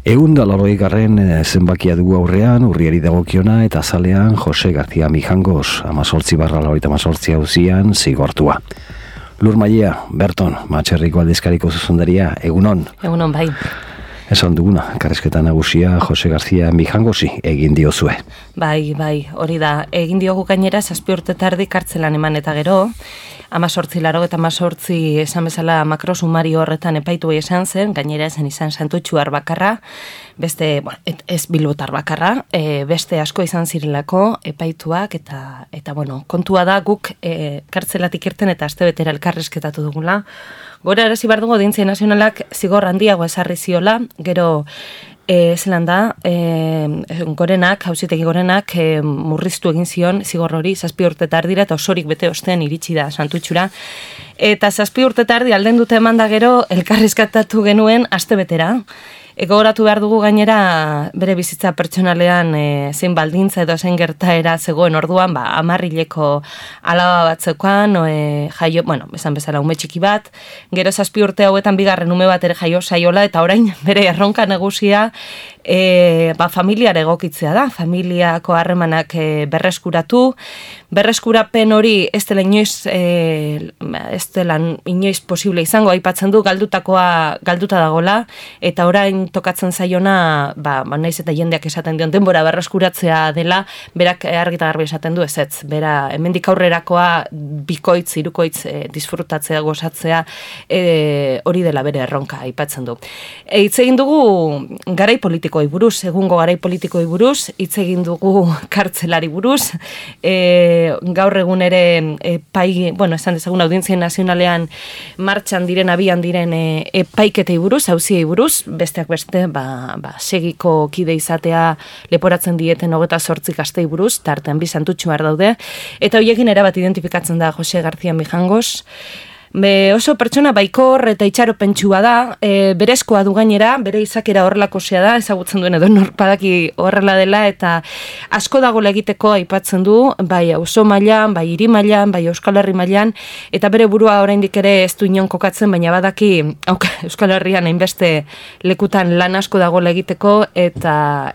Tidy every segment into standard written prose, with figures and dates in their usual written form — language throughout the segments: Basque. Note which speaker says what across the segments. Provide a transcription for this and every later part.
Speaker 1: 180. Zenbakia dugu aurrean, urriari dagokiona eta azalean Jose García Mijangos, 18/88 auzian zigortua. Lur Mailea, Berton, Matxerriko aldizkariko zuzendaria, egunon.
Speaker 2: Egunon, bai.
Speaker 1: Esan duguna, karrizketa nagusia Jose García Mijangosi egin diozue.
Speaker 2: Bai, hori da. Egin diogu gainera 7 urte tardi kartzelan eman eta gero, 18 esan bezala makrosumario horretan epaitu esan zen, gainera esan izan Santutxuar bakarra, beste, ez bilbotar bakarra, beste asko izan zirelako epaituak, eta kontua da guk kartzelatik irten eta astebetera elkarrizketatu dugula. Gora arazi behar dugu Audientzia Nazionalak zigor handiago ezarri ziola, gero zelan da, Auzitegi Gorenak murriztu egin zion zigor hori 7 urte tardira eta osorik bete ostean iritsi da Santutxura. Eta 7 urte tardi alden dute eman da gero elkarrizkatatu genuen astebetera. Gogoratu behar dugu gainera bere bizitza pertsonalean zein baldintza edo zein gertaera zegoen orduan, 10 alaba bat zeukan, jaio, esan bezala ume txiki bat, gero 7 urte hauetan bigarren ume bat ere jaio saiola, eta orain bere erronka nagusia familiara egokitzea da, familiako harremanak berreskurapen hori ez dela inoiz posible izango, aipatzen du galduta dagola, eta orain tokatzen zaiona, naiz eta jendeak esaten dion, denbora berreskuratzea dela, berak argita garbi esaten du ezetz, bera hemendik aurrerakoa bikoitz, hirukoitz disfrutatzea, gozatzea, hori dela bere erronka, aipatzen du. Hitz egin dugu garai politikoi buruz, egungo garai politikoi buruz, hitz egin dugu kartzelari buruz, gaur egun ere esan dezagun Audientzia Nazionalean martxan diren, abian diren epaiketei buruz, auziei buruz, besteak beste, segiko kide izatea leporatzen dieten 28 gaztei buruz, tartean bi Santutxuar daude, eta horiekin erabat identifikatzen da Jose García Mijangos. Oso pertsona baikor eta itxaropentsua da, berezkoa du gainera, bere izakera horrelakosea da, ezagutzen duen edo norpadaki horrela dela, eta asko dagoela egiteko aipatzen du, bai auzo mailan, bai hiri mailan, bai Euskal Herri mailan, eta bere burua oraindik ere ez du inon kokatzen, baina badaki Euskal Herrian hainbeste lekutan lan asko dagoela egiteko, eta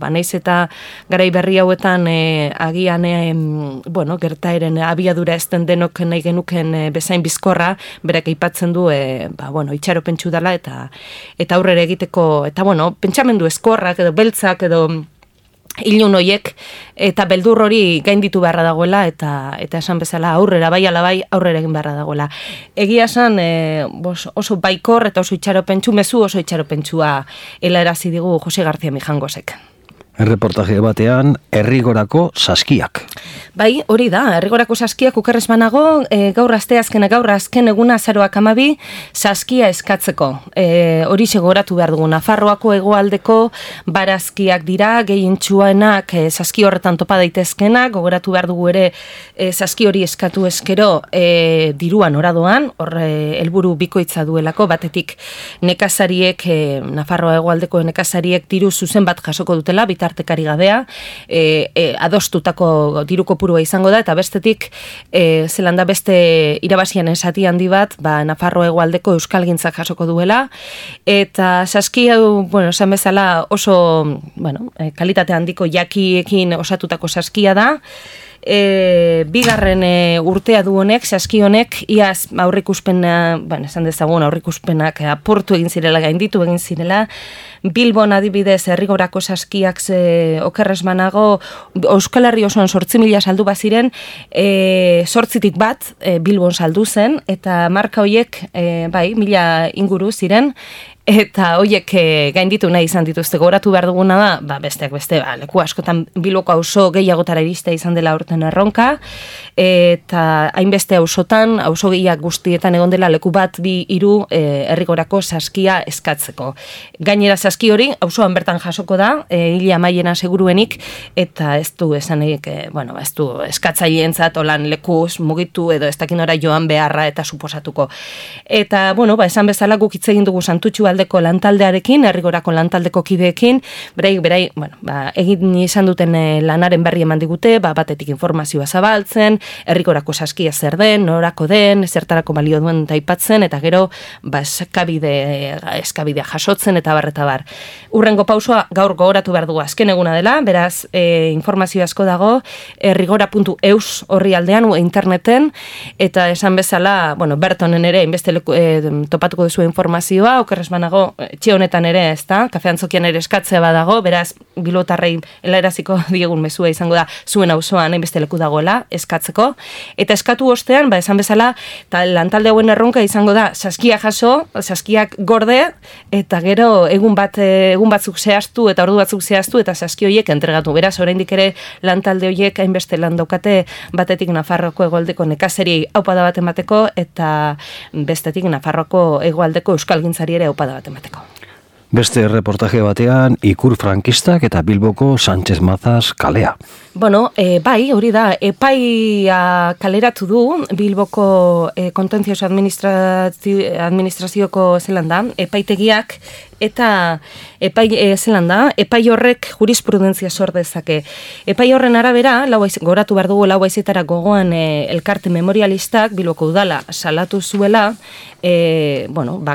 Speaker 2: naiz eta garai berri hauetan agian gertaeren abiadura ez den denok nahi genuken bezain bizkorra, berak aipatzen du itxaropentsu dela eta aurrera egiteko, eta pentsamendu eskorrak edo beltzak edo ilun hoiek eta beldur hori gainditu beharra dagoela eta esan bezala aurrera bai ala bai aurrera egin beharra dagoela. Egia esan oso baikor eta oso itxaropentsu, mezu oso itxaropentsua helarazi digu Jose García Mijangosek.
Speaker 1: Erreportaje batean, Herrigorako saskiak.
Speaker 2: Bai, hori da, Herrigorako saskiak okerrez banago, gaur azken eguna azaroak 12, saskia eskatzeko. Hori segoratu behar dugu, Nafarroako hegoaldeko barazkiak dira, gehientsuanak saski horretan topa daitezkenak, gogoratu behar dugu ere saski hori eskatu eskero diruan oradoan, helburu bikoitza duelako, batetik nekazariek, Nafarroa hegoaldeko nekazariek diru zuzen bat jasoko dutela, bitartekari gabea, adostutako diru kopurua izango da, eta bestetik zelan da beste irabazian esati handi bat, Nafarroa hegoaldeko euskalgintzak jasoko duela, eta saski hau, esan bezala oso, kalitate handiko jakiekin osatutako saskia da, bigarren urtea du honek, saski honek, iaz aurrikuspena, esan dezagun aurrikuspenak aportu egin zirela, gainditu egin zirela, Bilbon adibidez Herrigorako saskiak okerrez banago, Euskal Herri osoan 8.000 saldu baziren, 8tik bat Bilbon saldu zen, eta marka hoiek 1.000 inguru ziren, eta hoiek gainditu nahi izan dituzte. Goratu behar duguna da, besteak beste, leku askotan Bilboko auzo gehiagotara iriste izan dela urten erronka, eta hainbeste auzotan, auzo gehiak guztietan egon dela leku bat, 2, 3 Herrigorako saskia eskatzeko. Gainera saski hori, auzoan bertan jasoko da, hile amaiena seguruenik, eta ez du esanik, ez du eskatzaileentzat olan lekuz mugitu edo ez dakin ora joan beharra eta suposatuko. Eta, esan bezala guk hitz egin dugu Santutxua Egoaldeko lantaldearekin, Herrigorako lantaldeko kideekin, berai, bueno, egin izan duten lanaren berri eman digute, batetik informazioa zabaltzen, Herrigorako saskia zer den, norako den, zertarako balio duen taipatzen, eta gero eskabidea jasotzen, eta bar. Urrengo pausua gaur gogoratu behar dugu azken eguna dela, beraz, informazio asko dago, herrigora.eus horri aldean, interneten, eta esan bezala, bueno, Bertonen ere, inbeste topatuko duzu informazioa, okerrez banago, etxe honetan ere, ez da, kafe antzokian ere eskatzea badago, beraz, bilotarrei helaraziko diegun mezua izango da, zuen auzoan inbeste leku dagoela, eskatzeko, eta eskatu ostean, esan bezala, eta lantalde hauen erronka izango da, saskia jaso, saskiak gorde, eta gero egun batzuk zehaztu, eta ordu batzuk zehaztu, eta saski horiek entregatu. Beraz, oraindik ere lantalde horiek hainbeste lan daukate, batetik Nafarroko hegoaldeko nekazeri aupada bat emateko, eta bestetik Nafarroko hegoaldeko euskalgintzari ere aupada bat emateko.
Speaker 1: Beste reportaje batean, ikur frankistak eta Bilboko Sánchez Mazas kalea.
Speaker 2: Bueno, bai, hori da, epaia kaleratu du Bilboko kontentzioso administrazioko zelan da, epaitegiak, eta epai horrek jurisprudentzia sor dezake. Epai horren arabera, goratu behar dugu lau haizetara gogoan elkarte memorialistak Bilboko udala salatu zuela,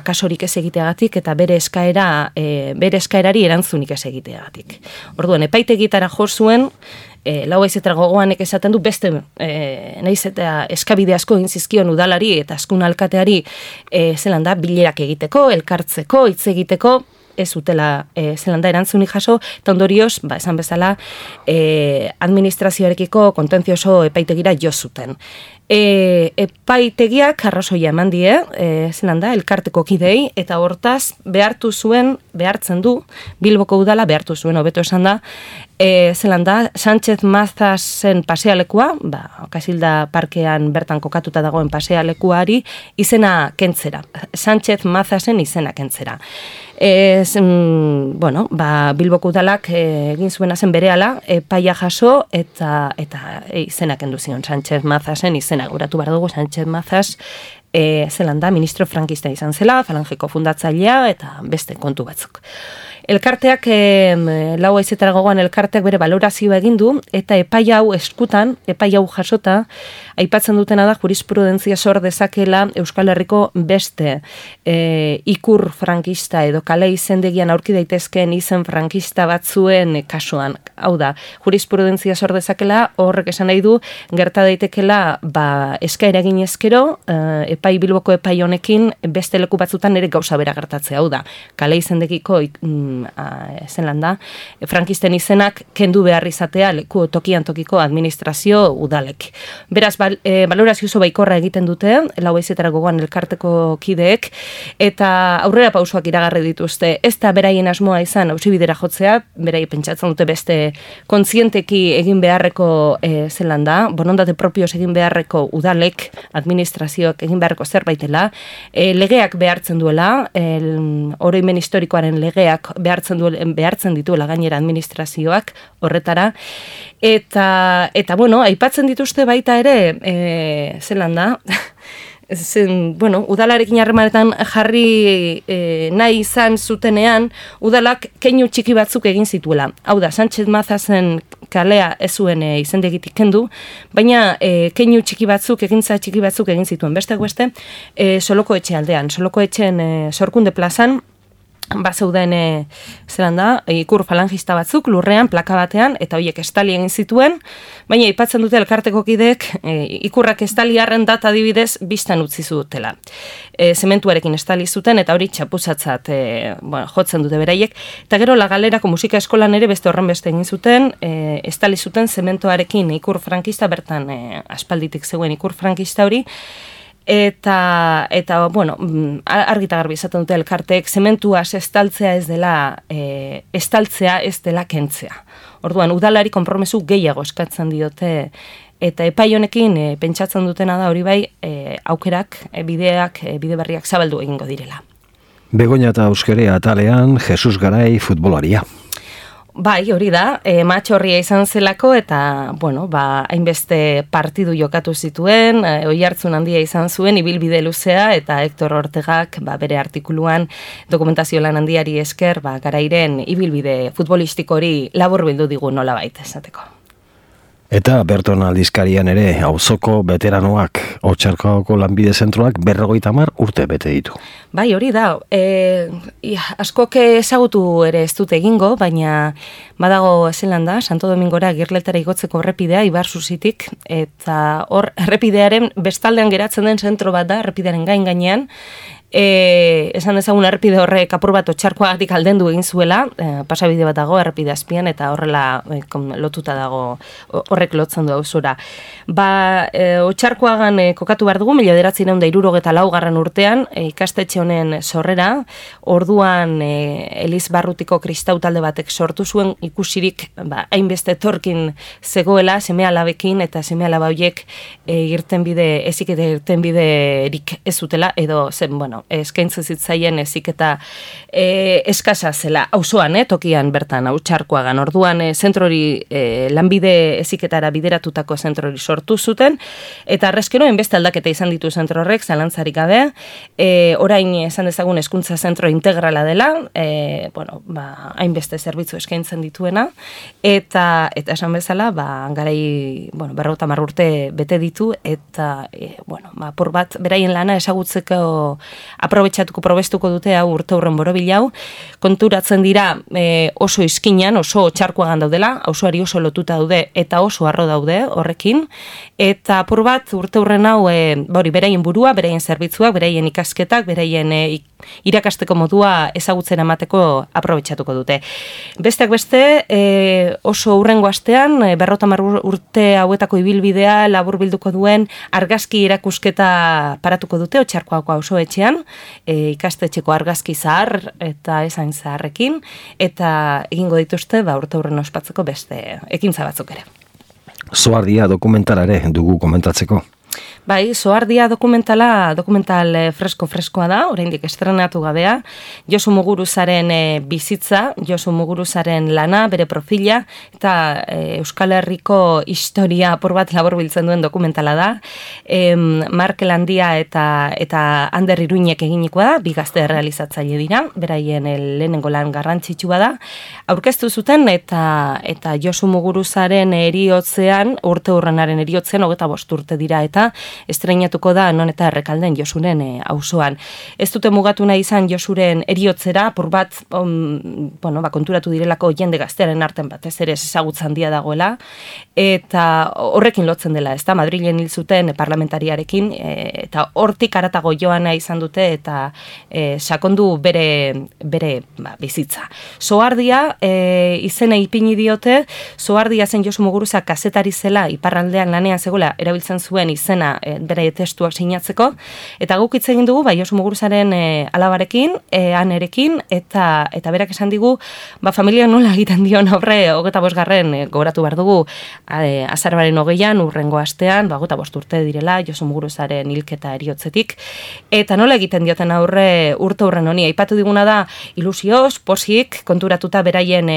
Speaker 2: kasorik ez egiteagatik eta bere eskaerari erantzunik ez egiteagatik. Orduan, epaitegitara jo zuen, lau haizetara gogoanek esaten du beste nahiz eta eskabide asko egin zizkion udalari eta askun alkateari zelan da bilerak egiteko, elkartzeko, hitz egiteko, ez utela zelan da erantzunik jaso, eta ondorioz, esan bezala, administrazioarekiko kontentzioso epaitegira jo zuten. Epaitegiak arrazoia eman die, zelan da, elkarteko kidei, eta hortaz behartzen du, Bilboko udala behartu zuen, hobeto esan da, zelan da, Sánchez Mazasen pasealekua, Kasilda parkean bertan kokatuta dagoen pasealekuari, izena kentzera. Sánchez Mazasen izena kentzera. Bilboko udalak egin zuena zen berehala, epaia jaso eta izena kendu zion Sánchez Mazasen izena. Guratu behar dugu, Sánchez Mazas zelan da, ministro frankista izan zela, falangeko fundatzailea eta beste kontu batzuk. Elkarteak, lau haizetara gogoan elkarteak bere valorazioa egin du, eta epai hau eskutan, epai hau jasota, aipatzen dutena da jurisprudentzia sor dezakela Euskal Herriko beste ikur frankista edo kale izendegian aurki daitezkeen izen frankista batzuen kasuan. Hau da, jurisprudentzia sor dezakela, horrek esan nahi du, gerta daitekela eskaera egin ezkero, Bilboko epai honekin beste leku batzutan ere gauza bera gertatzea. Hau da, kale izendegiko zelan da, frankisten izenak kendu behar izatea leku tokian tokiko administrazio udalek. Beraz, valorazio oso baikorra egiten dute, lau haizetara gogoan elkarteko kideek, eta aurrera pausoak iragarri dituzte. Ez da beraien asmoa izan hausibidera jotzea, berai pentsatzen dute beste kontzienteki egin beharreko zelan da, borondate propioz egin beharreko udalek, administrazioak egin beharreko zerbaitela, legeak behartzen duela, oroimen historikoaren legeak behartzen dituela gainera administrazioak horretara, eta aipatzen dituzte baita ere, zelan da, udalarekin harremanetan jarri nahi izan zutenean, udalak keinu txiki batzuk egin zituela. Hau da, Sánchez Mazasen kalea ez zuen izendegitik kendu, baina keinu txiki batzuk, egintza txiki batzuk egin zituen. Besteak beste, Soloko etxe aldean. Soloko etxen Sorkunde plazan, bazeuden zelan da, ikur falangista batzuk lurrean, plaka batean, eta horiek estali egin zituen, baina aipatzen dute elkarteko kideek ikurrak estali harren data adibidez biztan utzi zutela. Zementuarekin estali zuten, eta hori txapuzatzat jotzen dute beraiek, eta gero La Galerako musika eskolan ere beste horren beste egin zuten, estali zuten zementuarekin ikur frankista, bertan aspalditik zegoen ikur frankista hori, eta argita garbi izaten dute elkarteek, zementua estaltzea ez dela, estaltzea ez dela kentzea. Orduan, udalari konpromesu gehiago eskatzen diote, eta epai honekin pentsatzen dutena da hori bai, aukerak, bide berriak zabaldu egingo direla.
Speaker 1: Begoña eta Euskarea atalean, Jesus Garai futbolaria.
Speaker 2: Bai, hori da, matxorria izan zelako eta, bueno, hainbeste partidu jokatu zituen, oihartzun handia izan zuen, ibilbide luzea, eta Hector Ortegak bere artikuluan dokumentazio lan handiari esker, garairen ibilbide futbolistiko hori laburbildu digu nolabait esateko.
Speaker 1: Eta Berton aldizkarian ere, auzoko veteranoak, Otxarkoako lanbide zentroak 50 urte bete ditu.
Speaker 2: Bai, hori da, askok ezagutu ere ez dute egingo, baina badago zelan da, Santo Domingora Girletara igotzeko errepidea, Ibarzuzitik, eta hor errepidearen bestaldean geratzen den zentro bat da, errepidearen gainean, esan dezagun errepide horrek apur bat Otxarkoagatik aldendu egin zuela, pasabide bat dago errepide azpian eta horrela lotuta dago, horrek lotzen du auzora. Otxarkoagan kokatu behar dugu, 1964 urtean, ikastetxe honen sorrera, orduan Eliz Barrutiko kristau talde batek sortu zuen ikusirik hainbeste etorkin zegoela, seme-alabekin eta seme-alaba horiek irtenbiderik ez zutela, edo zen, eskaintzen zitzaien eziketa eskasa zela, auzoan, tokian bertan, Otxarkoagan. Orduan, zentrori lanbide eziketara bideratutako zentrori sortu zuten, eta arrezkero, enbeste aldaketa izan ditu zentro horrek, zalantzarik gabe, orain esan dezagun hezkuntza zentro integrala dela, hainbeste zerbitzu eskaintzen dituena, eta esan bezala, garai, 50 urte bete ditu, eta, apur bat, beraien lana ezagutzeko probestuko dute hau urte hurren borobil hau, konturatzen dira oso izkinan, oso Otxarkoagan daudela, auzoari oso lotuta daude eta oso harro daude horrekin, eta apur bat urte hurren hau beraien burua, beraien zerbitzuak, beraien ikasketak, beraien irakasteko modua ezagutzen emateko aprobetxatuko dute. Besteak beste, oso hurrengo astean, 50 urte hauetako ibilbidea laburbilduko duen argazki erakusketa paratuko dute Otxarkoako auzoetxean, ikastetxeko argazki zahar eta ezain zaharrekin, eta egingo dituzte urte hurren ospatzeko beste ekintza batzuk ere.
Speaker 1: Zoardia dokumentalare dugu komentatzeko.
Speaker 2: Bai, Zoardia dokumental freskoa da, oraindik estrenatu gabea, Josu Muguruzaren bizitza, Josu Muguruzaren lana, bere profila, eta Euskal Herriko historia apur bat laburbiltzen duen dokumentala da, Markel Handia eta Ander Iruinek eginikoa da, bi gazte realizatzaile dira, beraien lehenengo lan garrantzitsua da, aurkeztu zuten eta Josu Muguruzaren eriotzean, urte hurrenaren eriotzean, 25 urte dira eta estreinatuko da non eta Errekalden Josuren auzoan. Ez dute mugatu nahi izan Josuren eriotzera, apur bat, konturatu direlako jende gaztearen arten batez ere ezagutza handia dagoela, eta horrekin lotzen dela, ez da, Madrilen hil zuten parlamentariarekin, eta hortik haratago joana izan dute, eta sakondu bere bizitza. Zoardia, izena ipini diote, Zoardia zen Josu Muguruza kazetari zela, iparraldean lanean zegoela, erabiltzen zuen izena bere testuak sinatzeko, eta guk hitz egin dugu, Josu Muguruzaren alabarekin, anerekin, eta berak esan digu, familia nola egiten dion aurre, 25 gogoratu behar dugu, azaroaren 20an, urrengo astean, 25 urte direla, Josu Muguruzaren hilketa eriotzetik, eta nola egiten dioten aurre urte hurren honi, aipatu diguna da, ilusioz, posik, konturatuta beraien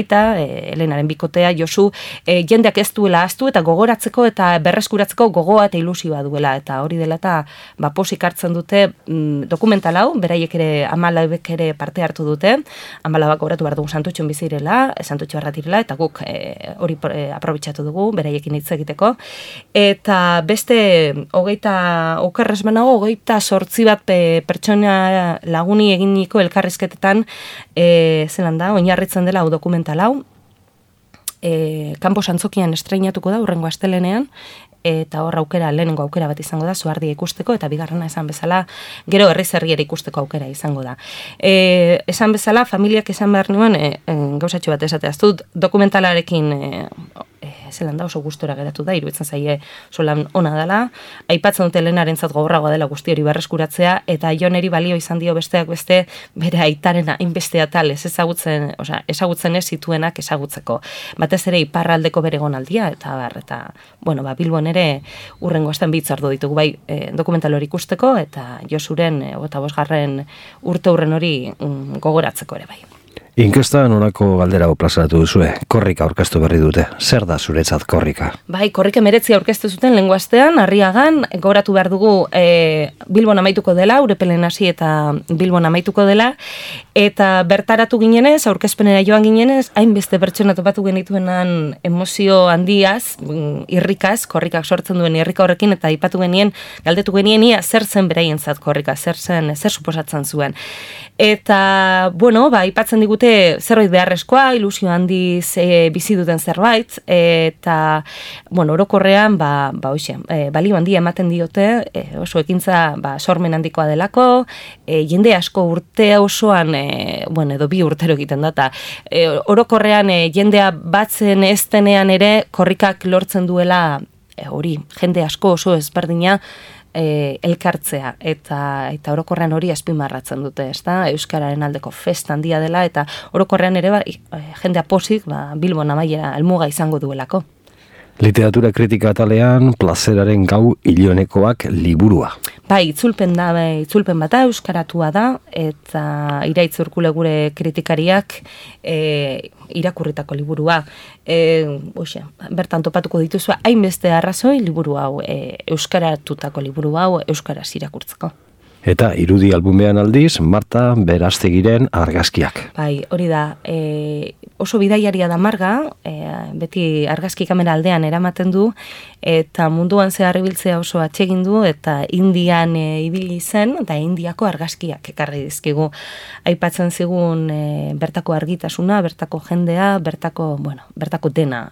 Speaker 2: aita, Helenaren bikotea, Josu, jendeak ez duela ahaztu, eta gogoratzeko eta berreskuratzeko gogoa eta ilusioa duela, eta hori dela eta posik hartzen dute dokumental hau, beraiek ere 14 ere parte hartu dute, 14 gogoratu behar dugu Santutxon bizirela, Santutxo arratirela, eta guk hori aprobetxatu dugu, beraiekin hitz egiteko, eta beste 28 bat pertsona laguni eginiko elkarrizketetan zelan da, oinarritzen dela hau dokumental hau, Kanpos Antzokian estreinatuko da urrengo astelenean, eta hor lehenengo aukera bat izango da, Zoardia ikusteko, eta bigarrena esan bezala, gero herriz herriera ikusteko aukera izango da. Esan bezala, familiak esan behar nuen, gauzatxo bat esateaz dut, dokumentalarekin zelan da oso gustora geratu da, iruditzen zaie solan ona dela, aipatzen dute Helenarentzat gogorragoa dela guzti hori berreskuratzea, eta Joneri balio izan dio besteak beste, bere aitaren hainbeste atal ezagutzen ez zituenak ezagutzeko. Batez ere iparraldeko bere gonaldia, eta Bilbon ere urrengo astean bi hitzardu ditugu bai dokumental hori ikusteko, eta Josuren 25. urte hurren hori gogoratzeko ere bai.
Speaker 1: Inkestan honako galdera plazaratu duzue, korrika aurkeztu berri dute. Zer da zuretzat korrika?
Speaker 2: Bai, korrika meretzi aurkeztu zuten lehengo astean, Arriagan, gogoratu behar dugu Bilbon amaituko dela, Urepelen hasi eta Bilbon amaituko dela, eta bertaratu ginenez, aurkezpenera joan ginenez, hainbeste pertsona topatu genituenan emozio handiaz, irrikaz, korrikak sortzen duen irrika horrekin, eta aipatu genien, galdetu genien ia zer zen beraientzat korrika, zer suposatzen zuen. Eta, bueno, aipatzen digute zerbait beharrezkoa, ilusio handiz bizi duten zerbait, eta, bueno, orokorrean, balio handia ematen diote, oso ekintza, sormen handikoa delako, jende asko urte osoan, edo 2 urtero egiten data, orokorrean jendea batzen ez denean ere, korrikak lortzen duela, hori, jende asko oso ezberdina, elkartzea eta orokorrean hori azpimarratzen dute, ezta? Euskararen aldeko festa handia dela eta orokorrean ere jendea pozik Bilbon amaiera helmuga izango duelako.
Speaker 1: Literatura kritika atalean Plazeraren gau ilonekoak liburua.
Speaker 2: Bai, itzulpen bata euskaratua da eta Iraitz Urkule gure kritikariak irakurritako liburua. Bertan topatuko dituzu hainbeste arrazoi liburu hau, euskaratutako liburu hau euskaraz irakurtzeko.
Speaker 1: Eta irudi albumean aldiz, Marta Berastegiren argazkiak.
Speaker 2: Bai, hori da, oso bidaiaria da Marga, beti argazki kamera aldean eramaten du, eta munduan zehar ibiltzea oso atsegin du, eta Indian ibili zen, eta Indiako argazkiak ekarri dizkigu. Aipatzen zigun bertako argitasuna, bertako jendea, bertako dena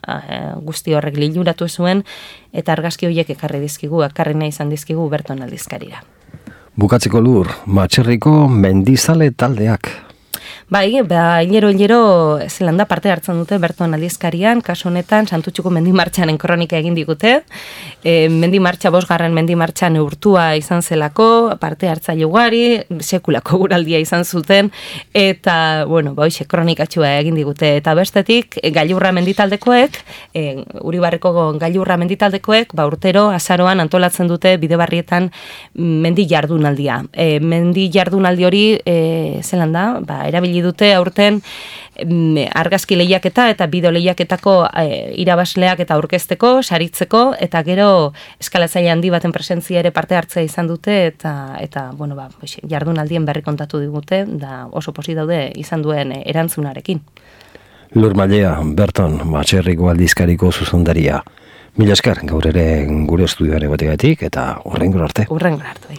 Speaker 2: guzti horrek liluratu zuen, eta argazki horiek ekarri dizkigu, ekarri nahi izan dizkigu Berton aldizkarira.
Speaker 1: Bukatzeko Lur, Matxerriko mendizale taldeak.
Speaker 2: Bai, hilero zelanda parte hartzen dute Berton aldizkarian, kasu honetan Santutxuko mendimartxanen kronika egin digute. Mendimartxa 5. mendimartxa neurtua izan zelako, parte hartzaile ugari, sekulako guraldia izan zuten, eta, kronikatxua egin digute. Eta bestetik, gailurra menditaldekoek, Uribarreko gailurra menditaldekoek, urtero, azaroan antolatzen dute Bidebarrietan mendi jardunaldia. Mendi jardunaldi hori, zelanda, erabili dute aurten argazki lehiaketa eta bideo lehiaketako irabazleak eta aurkezteko, saritzeko, eta gero eskalatzaile handi baten presentzia ere parte hartzea izan dute, eta jardunaldien berri kontatu digute, da oso posi daude izan duen erantzunarekin.
Speaker 1: Lur Mallea, Berton, Matxerriko aldizkariko zuzendaria. Mila esker, gaur ere gure estudioan egotegatik, eta hurrengo arte.
Speaker 2: Hurrengo arte, bai.